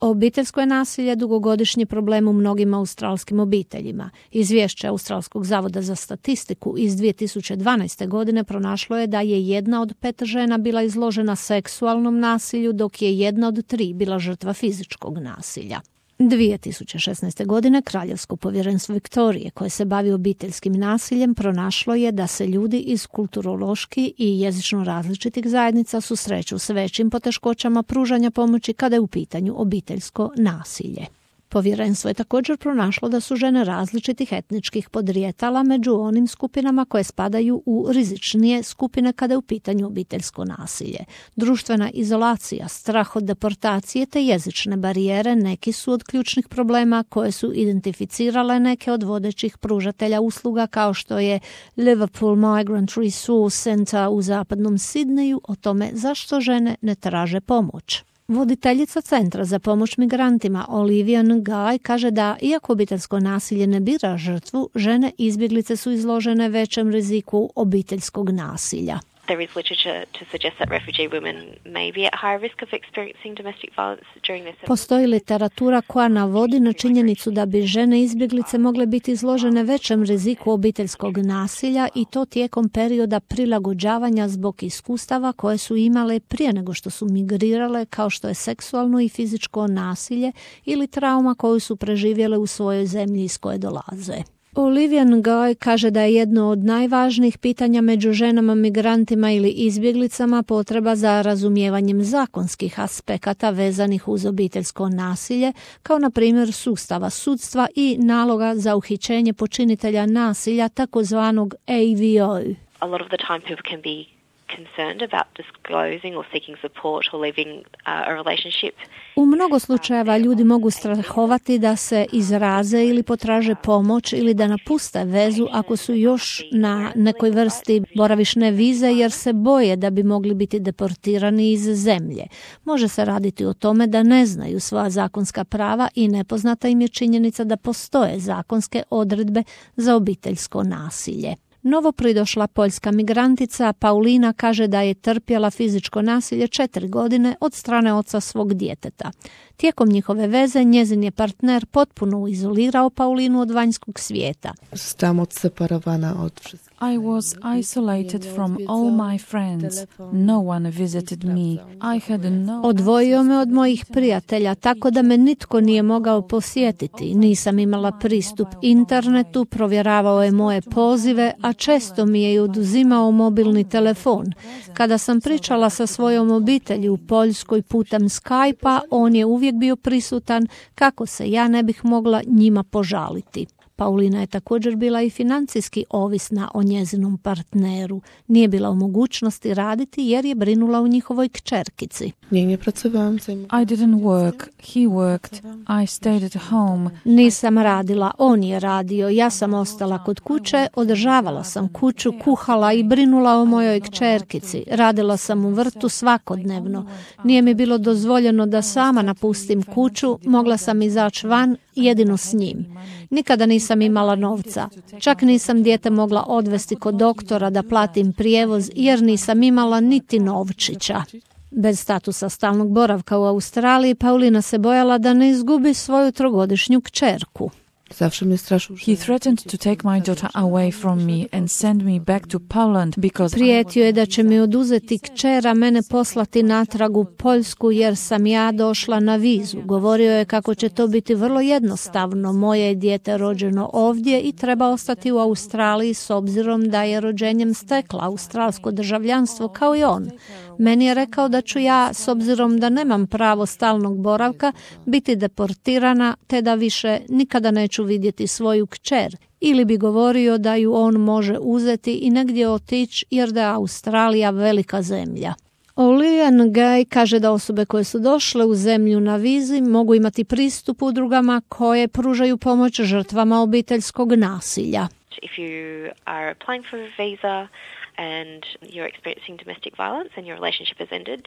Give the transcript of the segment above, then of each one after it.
Obiteljsko je nasilje dugogodišnji problem u mnogim australskim obiteljima. Izvješće Australskog zavoda za statistiku iz 2012. godine pronašlo je da je 1 od 5 žena bila izložena seksualnom nasilju, dok je 1 od 3 bila žrtva fizičkog nasilja. 2016. godine Kraljevsko povjerenstvo Viktorije, koje se bavi obiteljskim nasiljem, pronašlo je da se ljudi iz kulturološki i jezično različitih zajednica susreću s većim poteškoćama pružanja pomoći kada je u pitanju obiteljsko nasilje. Povjerenstvo je također pronašlo da su žene različitih etničkih podrijetala među onim skupinama koje spadaju u rizičnije skupine kada je u pitanju obiteljsko nasilje. Društvena izolacija, strah od deportacije te jezične barijere neki su od ključnih problema koje su identificirale neke od vodećih pružatelja usluga kao što je Liverpool Migrant Resource Center u zapadnom Sidneju o tome zašto žene ne traže pomoć. Voditeljica Centra za pomoć migrantima Olivia Nguy kaže da, iako obiteljsko nasilje ne bira žrtvu, žene izbjeglice su izložene većem riziku obiteljskog nasilja. There is literature to suggest that refugee women may be at higher risk of experiencing domestic violence during their settlement. Postoji literatura koja navodi na činjenicu da bi žene izbjeglice mogle biti izložene većem riziku obiteljskog nasilja i to tijekom perioda prilagođavanja zbog iskustava koje su imale prije nego što su migrirale, kao što je seksualno i fizičko nasilje ili trauma koju su preživjele u svojoj zemlji iz koje dolaze. Olivia Nguy kaže da je jedno od najvažnijih pitanja među ženama migrantima ili izbjeglicama potreba za razumijevanjem zakonskih aspekata vezanih uz obiteljsko nasilje, kao na primjer sustava sudstva i naloga za uhićenje počinitelja nasilja, takozvanog AVO. A lot of the time people can be concerned about disclosing or seeking support or leaving a relationship. U mnogo slučajeva ljudi mogu strahovati da se izraze ili potraže pomoć ili da napuste vezu ako su još na nekoj vrsti boravišne vize jer se boje da bi mogli biti deportirani iz zemlje. Može se raditi o tome da ne znaju svoja zakonska prava i nepoznata im je činjenica da postoje zakonske odredbe za obiteljsko nasilje. Novopridošla poljska migrantica Paulina kaže da je trpjela fizičko nasilje 4 godine od strane oca svog djeteta. Tijekom njihove veze njezin je partner potpuno izolirao Paulinu od vanjskog svijeta. Zostałam odseparowana od wszystkich. I was isolated from all my friends. No one visited me. I had no... Odvojio me od mojih prijatelja tako da me nitko nije mogao posjetiti. Nisam imala pristup internetu, provjeravao je moje pozive, a često mi je i oduzimao mobilni telefon. Kada sam pričala sa svojom obitelji u Poljskoj putem Skype-a, on je uvijek bio prisutan kako se ja ne bih mogla njima požaliti. Paulina je također bila i financijski ovisna o njezinom partneru. Nije bila u mogućnosti raditi jer je brinula o njihovoj kćerkici. Nie pracowałam. I didn't work. He worked. I stayed at home. Nisam radila, on je radio. Ja sam ostala kod kuće, održavala sam kuću, kuhala i brinula o mojoj kćerkici. Radila sam u vrtu svakodnevno. Nije mi bilo dozvoljeno da sama napustim kuću, mogla sam izaći van jedino s njim. Nikada nisam imala novca. Čak nisam dijete mogla odvesti kod doktora da platim prijevoz jer nisam imala niti novčića. Bez statusa stalnog boravka u Australiji, Paulina se bojala da ne izgubi svoju 3-godišnju kćerku. He threatened to take my daughter away from me and send me back to Poland because Prijetio je da će mi oduzeti kćer, a mene poslati natrag u Poljsku jer sam ja došla na vizu. Govorio je kako će to biti vrlo jednostavno. Moje je dijete rođeno ovdje i treba ostati u Australiji s obzirom da je rođenjem stekla australsko državljanstvo kao i on. Meni je rekao da ću ja, s obzirom da nemam pravo stalnog boravka, biti deportirana te da više nikada neću vidjeti svoju kćer. Ili bi govorio da ju on može uzeti i negdje otići jer da je Australija velika zemlja. Olivia Nguy kaže da osobe koje su došle u zemlju na vizi mogu imati pristup udrugama koje pružaju pomoć žrtvama obiteljskog nasilja. If you are applying for a visa and you're experiencing domestic violence and your relationship has ended,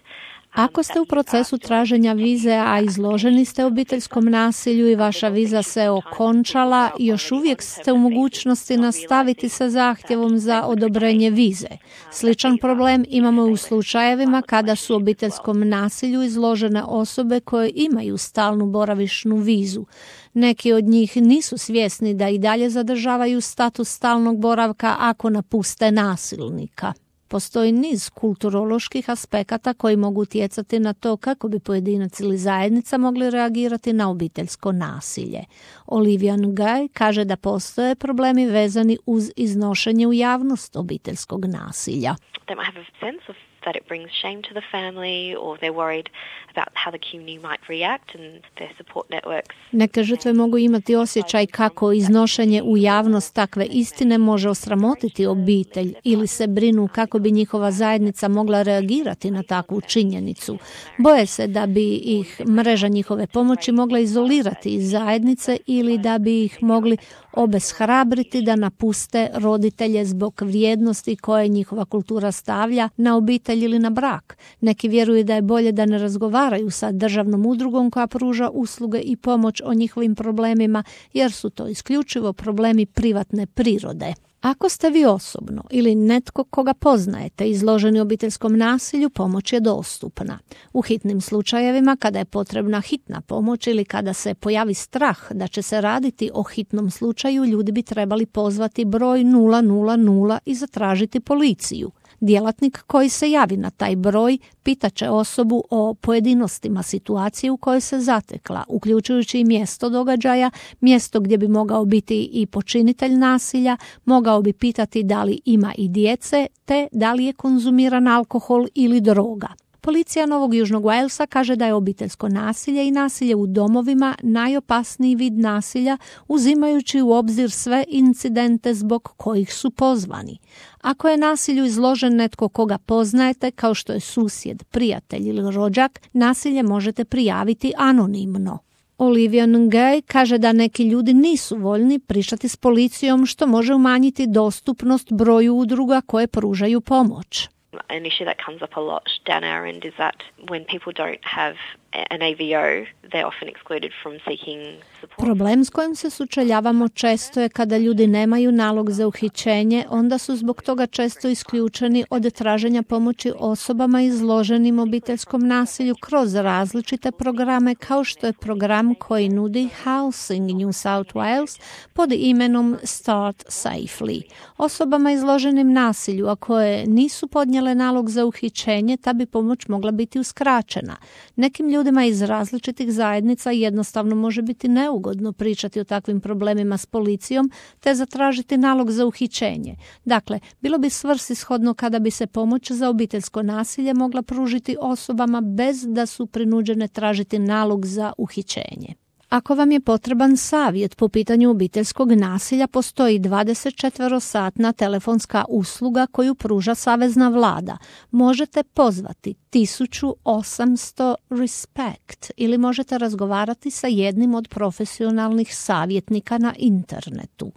Ako ste u procesu traženja vize, a izloženi ste obiteljskom nasilju i vaša viza se okončala, još uvijek ste u mogućnosti nastaviti sa zahtjevom za odobrenje vize. Sličan problem imamo u slučajevima kada su obiteljskom nasilju izložene osobe koje imaju stalnu boravišnu vizu. Neki od njih nisu svjesni da i dalje zadržavaju status stalnog boravka ako napuste nasilnika. Postoji niz kulturoloških aspekata koji mogu utjecati na to kako bi pojedinac ili zajednica mogli reagirati na obiteljsko nasilje. Olivia Nguyen kaže da postoje problemi vezani uz iznošenje u javnost obiteljskog nasilja. They might have a sense of that it brings shame to the family, or they're worried about how the community might react and their support networks. Neke žrtve mogu imati osjećaj kako iznošenje u javnost takve istine može osramotiti obitelj ili se brinu kako bi njihova zajednica mogla reagirati na takvu činjenicu. Boje se da bi ih mreža njihove pomoći mogla izolirati iz zajednice ili da bi ih mogli obeshrabriti da napuste roditelje zbog vrijednosti koje njihova kultura stavlja na obitelj ili na brak. Neki vjeruju da je bolje da ne razgovaraju sa državnom udrugom koja pruža usluge i pomoć o njihovim problemima, jer su to isključivo problemi privatne prirode. Ako ste vi osobno ili netko koga poznajete izloženi obiteljskom nasilju, pomoć je dostupna. U hitnim slučajevima, kada je potrebna hitna pomoć ili kada se pojavi strah da će se raditi o hitnom slučaju, ljudi bi trebali pozvati broj 000 i zatražiti policiju. Djelatnik koji se javi na taj broj pitaće osobu o pojedinostima situacije u kojoj se zatekla, uključujući i mjesto događaja, mjesto gdje bi mogao biti i počinitelj nasilja, mogao bi pitati da li ima i djece, te da li je konzumiran alkohol ili droga. Policija Novog Južnog Walesa kaže da je obiteljsko nasilje i nasilje u domovima najopasniji vid nasilja, uzimajući u obzir sve incidente zbog kojih su pozvani. Ako je nasilju izložen netko koga poznajete, kao što je susjed, prijatelj ili rođak, nasilje možete prijaviti anonimno. Olivia Nguyen kaže da neki ljudi nisu voljni pričati s policijom, što može umanjiti dostupnost broju udruga koje pružaju pomoć. An issue that comes up a lot down our end is that when people don't have an AVO, they're often excluded from seeking support. Problem s kojim se sučeljavamo često je kada ljudi nemaju nalog za uhićenje, onda su zbog toga često isključeni od traženja pomoći osobama izloženim obiteljskom nasilju kroz različite programe, kao što je program koji nudi Housing New South Wales pod imenom Start Safely. Osobama izloženim nasilju, a koje nisu podnijele nalog za uhićenje, ta bi pomoć mogla biti uskraćena. Nekim ljudima iz različitih zajednica jednostavno može biti neugodno pričati o takvim problemima s policijom te zatražiti nalog za uhićenje. Dakle, bilo bi svrsishodno kada bi se pomoć za obiteljsko nasilje mogla pružiti osobama bez da su prinuđene tražiti nalog za uhićenje. Ako vam je potreban savjet po pitanju obiteljskog nasilja, postoji 24-satna telefonska usluga koju pruža savezna vlada. Možete pozvati 1800 RESPECT ili možete razgovarati sa jednim od profesionalnih savjetnika na internetu.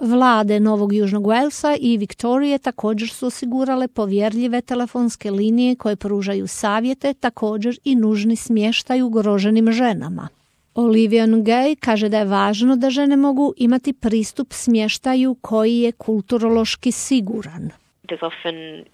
Vlade Novog Južnog Walesa i Viktorije također su osigurale povjerljive telefonske linije koje pružaju savjete, također i nužni smještaj ugroženim ženama. Olivia Nguyen kaže da je važno da žene mogu imati pristup smještaju koji je kulturološki siguran. There's often,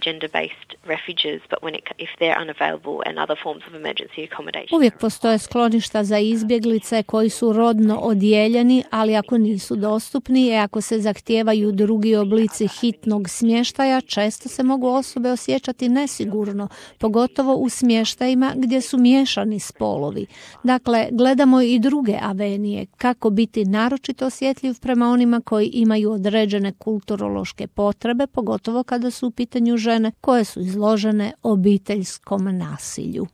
gender-based refuges, but if they're unavailable and other forms of emergency accommodation. Uvijek postoje skloništa za izbjeglice koji su rodno odijeljeni, ali ako nisu dostupni i ako se zahtijevaju drugi oblici hitnog smještaja, često se mogu osobe osjećati nesigurno, pogotovo u smještajima gdje su miješani spolovi. Dakle, gledamo i druge avenije, kako biti naročito osjetljiv prema onima koji imaju određene kulturološke potrebe, pogotovo kada su u pitanju žene koje su izložene obiteljskom nasilju.